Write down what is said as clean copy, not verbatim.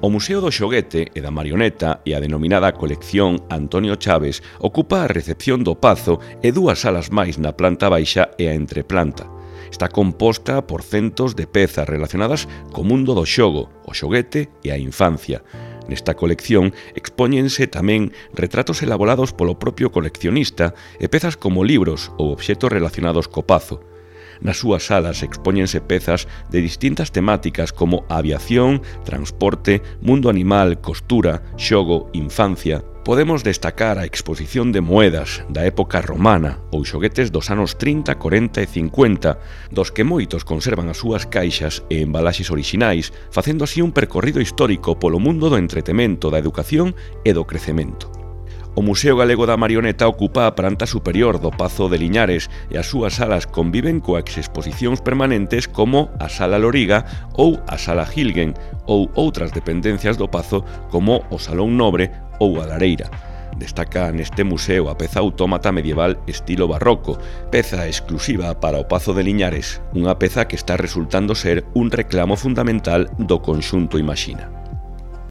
O Museo do Xoguete e da Marioneta e a denominada colección Antonio Chaves ocupa a recepción do Pazo e dúas salas máis na planta baixa e a entreplanta. Está composta por centos de pezas relacionadas co mundo do xogo, o xoguete e a infancia. Nesta colección expóñense tamén retratos elaborados polo propio coleccionista e pezas como libros ou obxetos relacionados co Pazo. Nas súas salas expóñense pezas de distintas temáticas como aviación, transporte, mundo animal, costura, xogo, infancia. Podemos destacar a exposición de moedas da época romana ou xoguetes dos anos 30, 40 e 50, dos que moitos conservan as súas caixas e embalaxes orixinais, facendo así un percorrido histórico polo mundo do entretemento, da educación e do crecemento. O Museo Galego da Marioneta ocupa a planta superior do Pazo de Liñares e as súas salas conviven coas exposicións permanentes como a Sala Loriga ou a Sala Gilgen ou outras dependencias do Pazo como o Salón Nobre ou a Lareira. Destaca neste museo a peza autómata medieval estilo barroco, peza exclusiva para o Pazo de Liñares, unha peza que está resultando ser un reclamo fundamental do conxunto Imaxina.